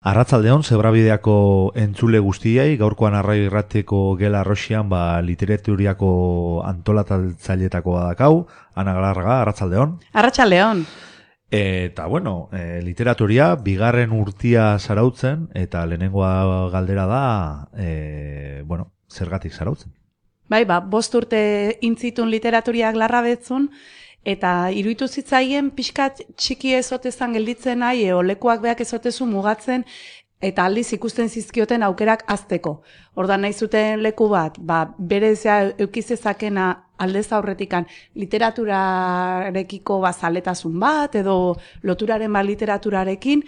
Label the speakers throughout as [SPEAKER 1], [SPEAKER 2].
[SPEAKER 1] Arratsaldeon Zebrabideako entzule guztiei, gaurkoan Arraio Irratiko Gela Arroxian literaturiako antolatzaileetakoa dakau, Ana Galarraga, arratsaldeon.
[SPEAKER 2] Arratsaldeon.
[SPEAKER 1] Eta literaturia bigarren urtia zarautzen, eta lehenengoa galdera da, zergatik zarautzen?
[SPEAKER 2] Bai, 5 urte intzitun literaturiak larrabetzun, eta iruditu zitzaien pixkat txiki ezotezan gelditzen nahi, lekuak beak ezotezu mugatzen, eta aldiz ikusten zizkioten aukerak azteko. Ordan nahi zuten leku bat, berezia eukizezakena aldez aurretikan literaturarekiko zaletasun bat, edo loturaren literaturarekin,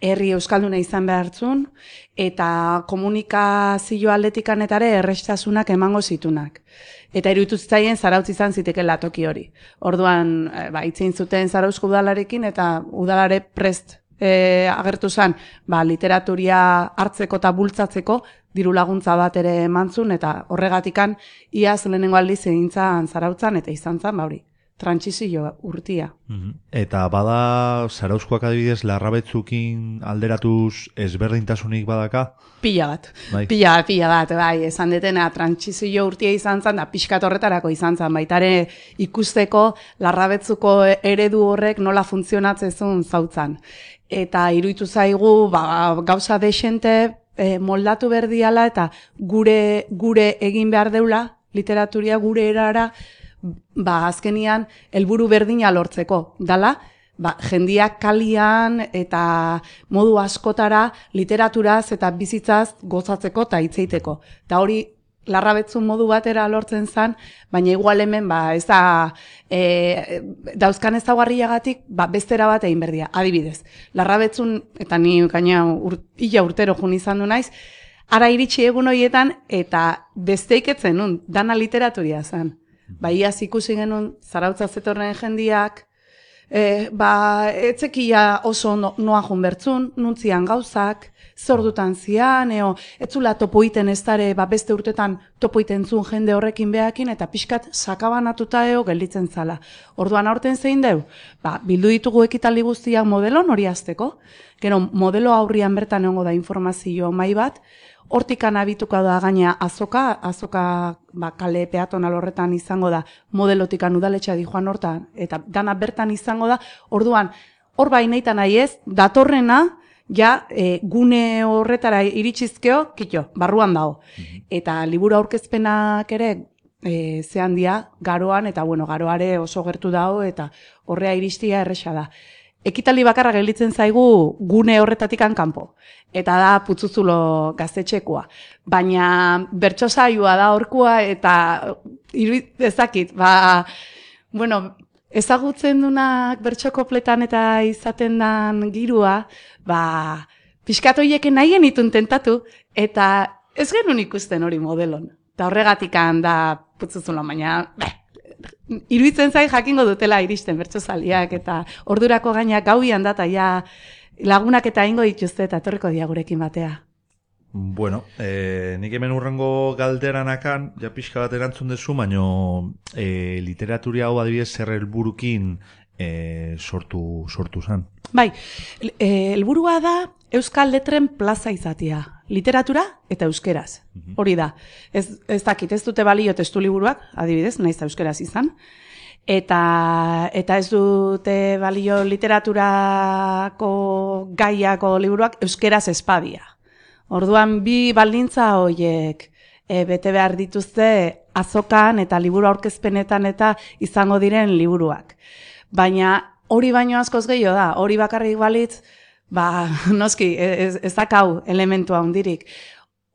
[SPEAKER 2] herri euskalduna izan behartzun, eta komunikazio aldetikan etare errestasunak emango zitunak. Eta iruditu zitzaien Zarautz izan zitekela toki hori. Orduan, itzein zuten Zarauzko udalarekin, eta udalare prest agertu zen, literaturia hartzeko eta bultzatzeko diru laguntza bat ere emantzun, eta horregatikan iaz lehenengo aldiz egintzan Zarautzan, eta izan zen, trantsizio urtia.
[SPEAKER 1] Eta bada Zarauzkoak adibidez Larrabetzukin alderatuz ezberdintasunik badaka?
[SPEAKER 2] Pila bat, bai, esan detena trantsizio urtia izan zen, da pixkat horretarako izan zen, baitare ikusteko Larrabetzuko eredu horrek nola funtzionatzezun zautzan. Eta iruditu zaigu, gauza desente moldatu berdiala, eta gure egin behar deula, literaturia gure erara, azkenian helburu berdina lortzeko. Dala, jendiak kalian eta modu askotara literaturaz eta bizitzaz gozatzeko eta hitzeiteko. Eta hori Larrabetzun modu batera lortzen zen, baina igual hemen ez da dauzkan ezaugarriagatik bestera bat egin berdia. Adibidez, Larrabetzun, eta ni gaina ila urtero jun izan du naiz, ara iritsi egun horietan eta besteiketzen nun, dana literaturia zen. Iaz ikusi genuen Zarautza zetorren jendiak, etzekia oso noa jun bertzun, nuntzian gauzak, zordutan zian, etzula topoiten ez dare, beste urtetan topoiten zuen jende horrekin behakin, eta pixkat sakabanatuta gelditzen zala. Orduan aurten zein deu? Bildu ditugu ekitaldi guztiak modelon hori azteko, gero modelo aurrian bertan egongo da informazio mai bat, hortikan abituko da gaina azoka kale peatonal horretan izango da, modelotikan udaletxea di joan hortan, eta dana bertan izango da, orduan, hor baineitan nahi ez, datorrena, gune horretara iritsizkeo, barruan dago. Eta liburu aurkezpenak ere, zehan dia, garoan, eta garoare oso gertu dago, eta horrea iristia erresa da. Ekitaldi bakarra gelditzen zaigu gune horretatikan kanpo. Eta da Putzuzulo gaztetxekoa. Baina bertso saioa da horkoa, eta ezakit, ezagutzen dunak bertso kopletan eta izaten dan girua, pixkat horieken nahien itun tentatu, eta ez genuen ikusten hori modelon. Eta horregatikan da Putzuzulo, baina iruditzen zain jakingo dutela iristen bertsozaliak, eta ordurako gainak gauian da, eta lagunak eta ingo dituzte, eta etorriko dia gurekin batea.
[SPEAKER 1] Bueno, nik hemen urrengo galderanakan, pixka bat erantzun dezu, baino literaturia hau adibidez zer helburukin sortu zen.
[SPEAKER 2] Bai, helburua da Euskal Letren plaza izatea. Literatura eta euskeraz. Hori da. Ez dakit, ez dute balio testu liburuak, adibidez, naiz euskeraz izan. Eta ez dute balio literaturako gaiako liburuak euskeraz espadia. Orduan, bi baldintza horiek bete behar dituzte azokan eta liburu aurkezpenetan eta izango diren liburuak. Baina hori baino askoz gehiago da, hori bakarrik balitz, noski, ez dakau elementua hundirik.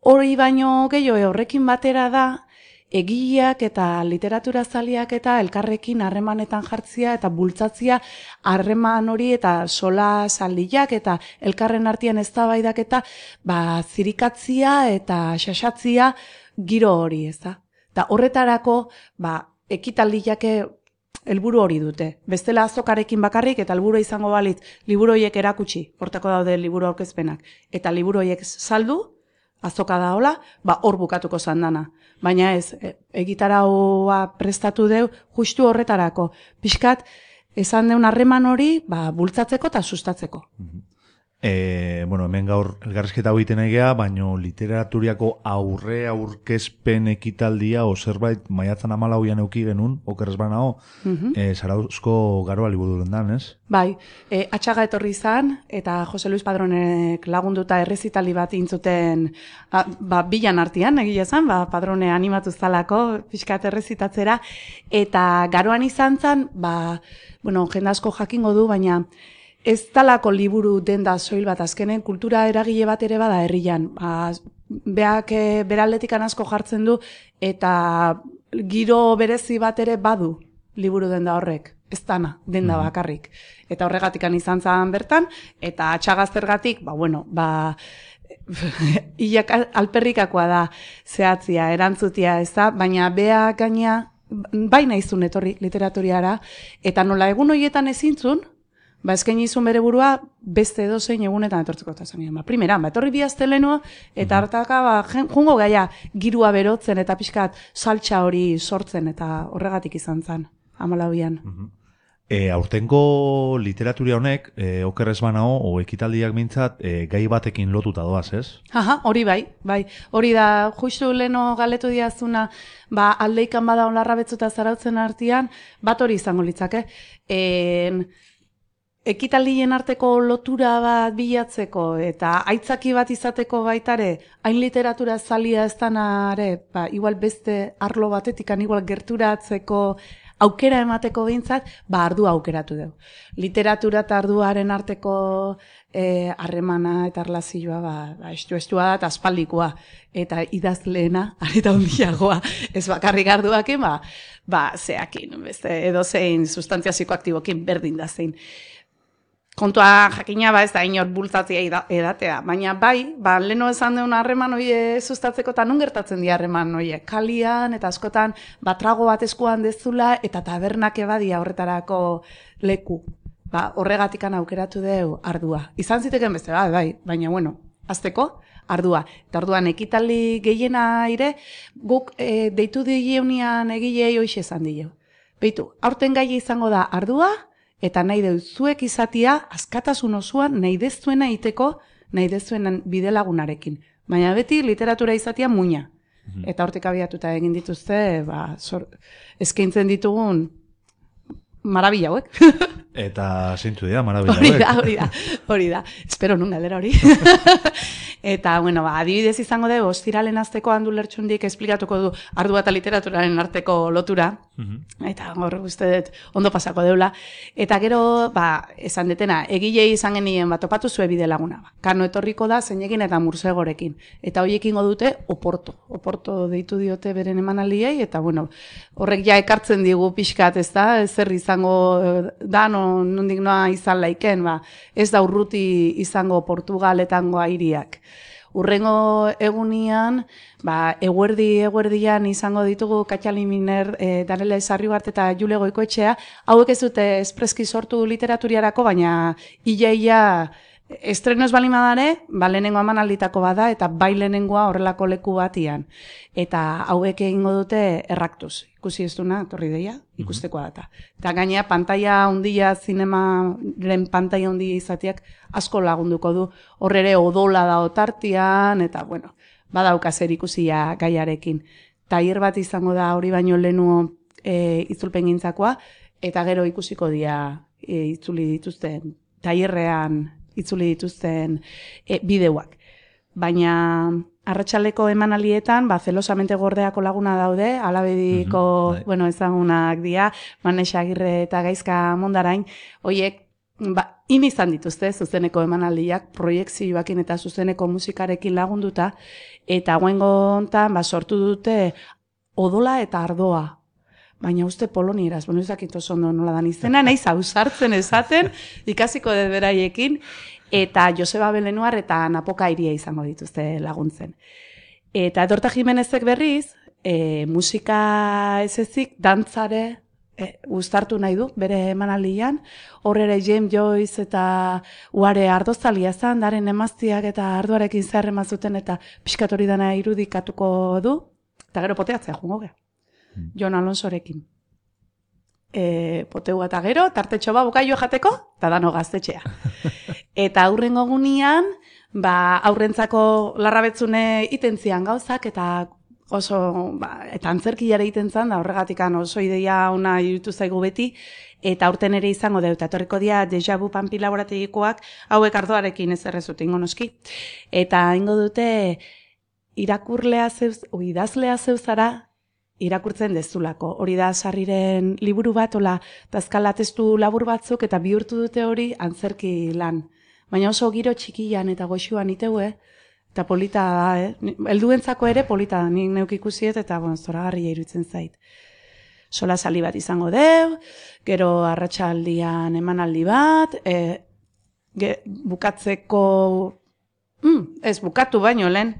[SPEAKER 2] Hori baino gehiago horrekin batera da, egileak eta literatura zaliak eta elkarrekin harremanetan jartzia eta bultzatzia harreman hori eta sola saldiak eta elkarren artean eztabaidak eta zirikatzia eta xaxatzia giro hori, ez da. Eta horretarako ekitaldiak helburu hori dute. Bestela azokarekin bakarrik eta helburu izango balitz liburu horiek erakutsi, hortako daude liburu aurkezpenak, eta liburu horiek saldu, azoka da hola, hor bukatuko zandana. Baina ez, egitaraua prestatu deu justu horretarako. Pixkat, esan deun harreman hori bultzatzeko eta sustatzeko.
[SPEAKER 1] Bueno, hemen gaur elgarrizketa hau egiten egea, baino literaturiako aurkezpen ekitaldia o zerbait maiatzan 14an euki genuen, okerrez banao, Zarauzko Garoa liburuaren dan, ez?
[SPEAKER 2] Bai, Atxaga etorri izan, eta Jose Luis Padronek lagunduta errezitali bat intzuten bilan artean, egia esan, Padrone animatu zalako, pixkat errezitatzera, eta Garoan izan zen, bueno, jende asko jakingo du, baina ez talako liburu denda soil bat azkenen, kultura eragile bat ere bada herrian. Beak beraldetik asko jartzen du, eta giro berezi bat ere badu liburu denda horrek. Ez dana, denda bakarrik. Eta horregatik izan zen bertan, eta Atxagaztergatik, hilak alperrikakoa da zehatzia, erantzutia, ez da, baina beak gaina, baina izun etorri literaturiara, eta nola egun horietan ezintzun, eskaini izun bere burua beste edozein egunetan etortzeko eta zen. Primeran, etorri bihaztelenua, eta hartaka, jungo gaia girua berotzen eta pixkat saltsa hori sortzen, eta horregatik izan zen, 14an.
[SPEAKER 1] Aurtengo literaturia honek, okerrez banao, o ekitaldiak mintzat, gai batekin lotuta doaz, ez?
[SPEAKER 2] Hori bai. Hori da, justu leno galetu diazuna, aldeikan bada onlarra betzuta zarautzen artean, bat hori izango litzake. Ekitaldien arteko lotura bat bilatzeko eta aitzaki bat izateko baitare, hain literatura zalia ez danare, igual beste arlo batetikan igual gerturatzeko aukera emateko behintzat, ardua aukeratu dugu. Literatura eta arduaren arteko harremana eta erlazioa estua da eta aspaldikoa. Eta idazleena, areta hundiagoa, ez bakarrik arduakin, zeakin, edozein sustantzia psikoaktibokin berdin da zein. Kontua jakina ez da inor bultzatzea edatea, baina leno esan deun harreman hori sustatzeko eta nun gertatzen di harreman hori, kalian eta askotan trago bat eskuan dezula eta tabernak ebadia horretarako leku. Horregatikan aukeratu deu ardua. Izan ziteken beste, baina bueno, azteko ardua. Eta orduan ekitaldi gehiena ire, guk deitu digeunian egilei hoxe esan dio. Beitu, aurten gai izango da ardua, eta nahi dut zuek izatia, askatasun osoan nahi dezuena iteko, nahi dezuenan bidelagunarekin. Baina beti literatura izatia muina. Eta hortik abiatuta egin dituzte, eskaintzen ditugun marabila hauek.
[SPEAKER 1] Eta zeintu dira, marabila hauek.
[SPEAKER 2] Hori da. Espero nun galdera hori. Eta, adibidez izango dugu, ostiralen azteko handu lertxundik esplikatuko du ardua eta literaturaren arteko lotura. Eta hor uste dut ondo pasako deula. Eta gero, esan detena, egilei izan genien topatu zue bide laguna. Kano etorriko da zeinekin eta mursegorekin. Eta horiekin dute Oporto deitu diote beren emanaldiei, eta horrek ja ekartzen digu pixkat, ez da, zer izango da, nondik noa izan laiken, ez da urruti izango Portugaletango airiak. Urrengo egunian, eguerdian izango ditugu Katxali Miner, Danele Sarriugart eta Jule Goikoetxea, hauek ez dute espreski sortu literaturiarako, baina ia estreno ez balima dare, lehenengo emanalditako bada, eta lehenengoa horrelako leku batian. Eta hauek egingo dute erraktuz. Ikusi ez duna, torri deia, ikustekoa data. Eta gainea, pantaia hundia, zinemaren pantaia hundia izateak asko lagunduko du. Horrere odola da otartian, eta badauka zer ikusia gaiarekin. Tailer bat izango da hori baino lehenu itzulpen gintzakoa, eta gero ikusiko dira itzuli dituzten, tailerrean itzuli dituzten bideoak. Baina arratsaleko emanaldietan, zelosamente gordeako laguna daude, alabediko, ezagunak dira, Manexa Agirre eta Gaizka Mondarain, horiek, izan dituzte zuzeneko emanaldiak, proiekzioakin eta zuzeneko musikarekin lagunduta, eta guengo hontan, sortu dute odola eta ardoa. Baina uste polonieraz, ez dakit oso ondo nola dan izena, nahiz ausartzen esaten, ikasiko dut beraiekin, eta Joseba Belenuar eta Napoka Iria izango dituzte laguntzen. Eta Dorta Jimenezek berriz, musika ez ezik, dantzare uztartu nahi du, bere emanaldian, horrere James Joyce eta Uare Ardoztalia zan, daren emaztiak eta arduarekin zer emazuten, eta pixkat hori dana irudikatuko du, eta gero poteatzea jungo geha. Jon Alonsorekin. Poteua eta gero, tartetxo bukaio jateko, eta dano gaztetxea. Eta aurrengo gunean, aurrentzako larrabetzune itentzian gauzak, eta oso, eta antzerkiare iten zan, da horregatik oso ideia ona irutu zaigu beti, eta aurten ere izango dut, eta etorriko dira Deja Vu Pampi laborategikoak, hauek ardoarekin ez errezut ingo noski. Eta ingo dute, idazlea zeuzara, irakurtzen dezulako. Hori da Sarriren liburu bat, ola, dazkala testu labur batzuk, eta bihurtu dute hori antzerki lan. Baina oso giro txikian eta goxuan iteue, eta polita da, helduentzako ere polita da, nik neuk ikusiet, eta zoragarria iruditzen zait. Sola sali bat izango deu, gero arratsaldian emanaldi bat, bukatzeko, ez bukatu baino lehen,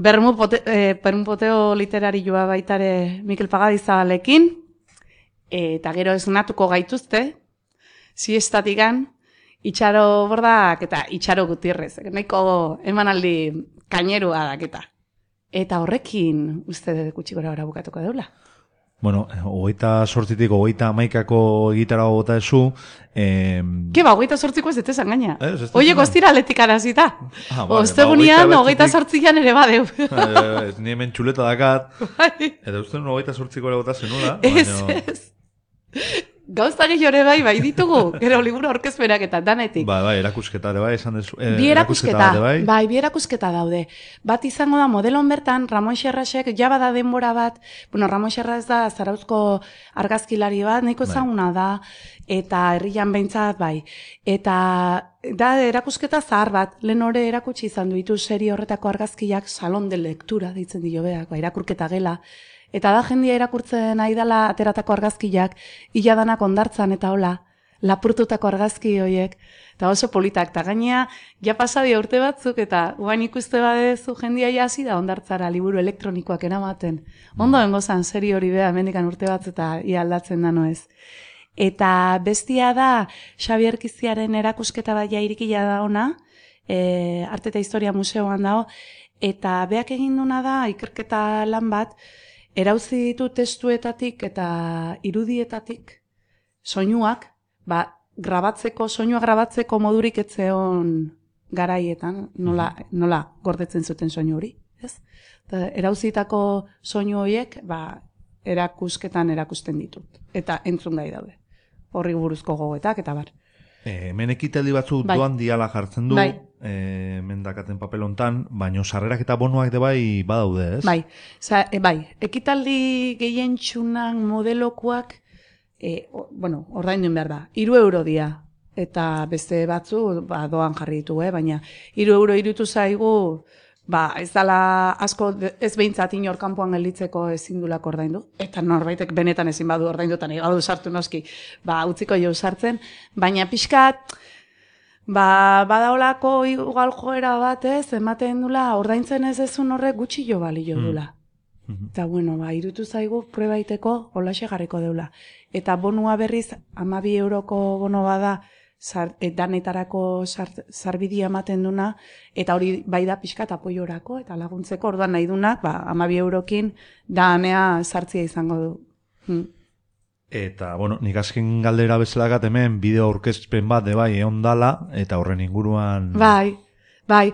[SPEAKER 2] Bermupoteo literarioa baitare Mikel Pagadizabalekin, eta gero esnatuko gaituzte, siestatikan, Itxaro Bordak eta Itxaro Gutierrez, nahiko emanaldi kainerua daketa. Eta horrekin uste dut gutxi gora bukatuko deula.
[SPEAKER 1] Bueno, 28tik 31ako egitara bota ezu.
[SPEAKER 2] Keba, 28ko ez dut esan gaina. Oiek ostira aletik arazita. Ostegunian, 28an ere badeu.
[SPEAKER 1] Ni hemen txuleta dakat. Eta uste nuen 28ko ere bota zenula.
[SPEAKER 2] Ez. Gauza gehiore bai ditugu, gero liburu aurkezpenak eta danetik.
[SPEAKER 1] Bai, erakusketa ere bai, esan dezu.
[SPEAKER 2] Bi erakusketa daude. Bat izango da modelon bertan, Ramon Xerrasek, jabada denbora bat, Ramon Xerras da Zarauzko argazkilari bat, nahiko ezaguna da, eta herrian behintzat bai. Eta da erakusketa zahar bat, lehen hori erakutsi izan duitu serie horretako argazkiak salon de lectura, deitzen dio beak, irakurketa gela. Eta da jendia irakurtzen nahi dela ateratako argazkiak, iladanak ondartzan eta hola, lapurtutako argazki horiek, eta oso politak. Eta gainea, ja pasadia urte batzuk, eta guain ikuste badezu jendia hasi da ondartzara liburu elektronikoak eramaten. Ondo engozan seri hori beha, mendikan urte batzu eta ia aldatzen dano ez. Eta bestia da, Xabier Kiziaren erakusketa bat jairikila da ona, Arte eta Historia Museoan dago, eta beak egin duna da, ikerketa lan bat, erauzi ditu testuetatik eta irudietatik soinuak, soinua grabatzeko modurik etzeon garaietan, nola gordetzen zuten soinu hori, ez? Erauzitako soinu horiek, erakusketan erakusten ditut, eta entzun gai daude. Horri buruzko gogoetak, eta bar.
[SPEAKER 1] Hemen ekitaldi batzu doan diala jartzen du, mendakaten papelontan, baino sarrerak eta bonuak de bai badaude, ez?
[SPEAKER 2] Bai, ekitaldi gehien txunan modelokuak, ordainduen behar da, 3 euro dia, eta beste batzu doan jarri ditu, baina 3 euro irutu zaigu, ez dala asko, ez behintzat inor kanpoan gelditzeko ezin dulako ordaindu, eta norbaitek benetan ezin badu ordaindutan, egadu sartu noski, utziko jo sartzen, baina pixkat, badaolako igual joera bat ematen dula, ordaintzen ez ezun horrek gutxi jo balio dula. Eta irutu zaigu probaiteko holaxe jarriko deula. Eta bonua berriz, 12 euroko bono bada, danetarako sarbidia ematen duna, eta hori bai da pixkat apoiorako, eta laguntzeko orduan nahi dunak, 12 eurokin danea sartzia izango du.
[SPEAKER 1] Eta, nik azken galdera bezalakat hemen bideo aurkezpen bat de bai egon dala, eta horren inguruan...
[SPEAKER 2] Bai,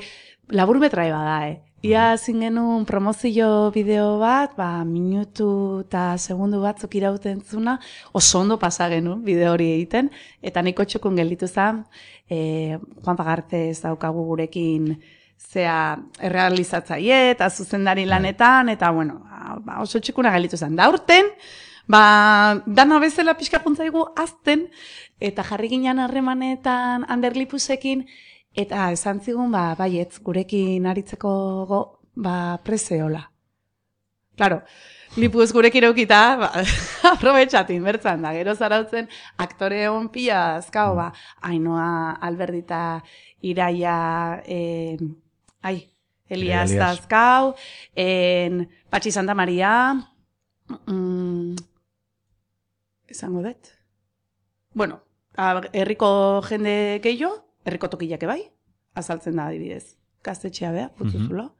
[SPEAKER 2] laburmetrai bada, Ia zin genuen promozio bideo bat, minutu eta segundu batzuk irauten zuna, oso ondo pasa genuen bideo hori egiten, eta niko txukun gelditu zen, Juan Pagarte ez daukagu gurekin zea errealizatzaile eta zuzendari lanetan, eta oso txukuna gelditu zen. Da urten, dana bezala pixka juntzaigu azten, eta jarri ginen harremanetan Ander Lipusekin, eta esan zigun, baietz, gurekin aritzeko prezeola. Claro, Lipuz gurekin eukita, aprobetxatin, bertzan da, gero zarautzen, aktore hon pila azkao, Ainoa Alberdita Iraia, Elias azkao, Patxi Santa Maria, esango dut. Herriko jende gehiago, herriko tokilak bai, azaltzen da adibidez. Gaztetxea beha, putzuzulo.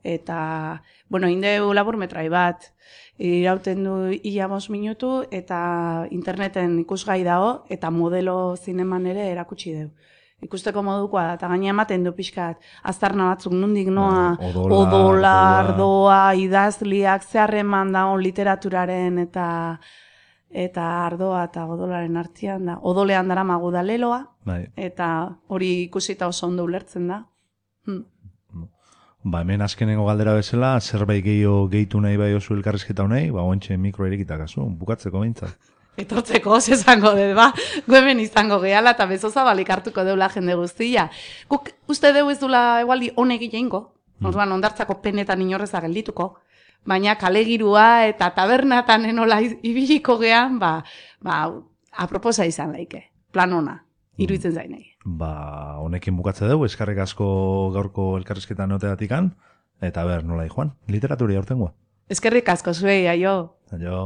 [SPEAKER 2] Eta, indeu laburmetrai bat, irauten du 5 minutu, eta interneten ikusgai dago, eta modelo zineman ere erakutsi deu. ikusteko modukoa da, eta gaina ematen du pixkat, aztarna batzuk nundik noa,
[SPEAKER 1] Odola,
[SPEAKER 2] odola,
[SPEAKER 1] ardoa.
[SPEAKER 2] ardoa, idazliak, zeharreman dago literaturaren eta ardoa eta odolaren artean da. Odolean dara magu da leloa,
[SPEAKER 1] Bai.
[SPEAKER 2] eta hori ikusita oso ondo ulertzen da.
[SPEAKER 1] Ba, hemen azkenengo galdera bezala, zerbait gehitu nahi bai oso elkarrizketa honei, ba, ointxe mikro erikitakazu, bukatzeko behintzat.
[SPEAKER 2] Etortzeko, esango dut, ba, hemen izango gehala eta bezo zabalik hartuko deula jende guztia. Guk uste deu ez dula egualdi honek egeingo, orduan ondartzako penetan inorreza geldituko, baina kalegirua eta tabernatan enola ibiliko gean, aproposa izan laike, plan ona, iruditzen zainei.
[SPEAKER 1] Ba, honekin bukatze dugu, eskarrik asko gaurko elkarrizketan neoteatikan, eta ber, nola joan, literaturia aurtengoa.
[SPEAKER 2] Eskerrik asko zuei, aio.
[SPEAKER 1] Aio.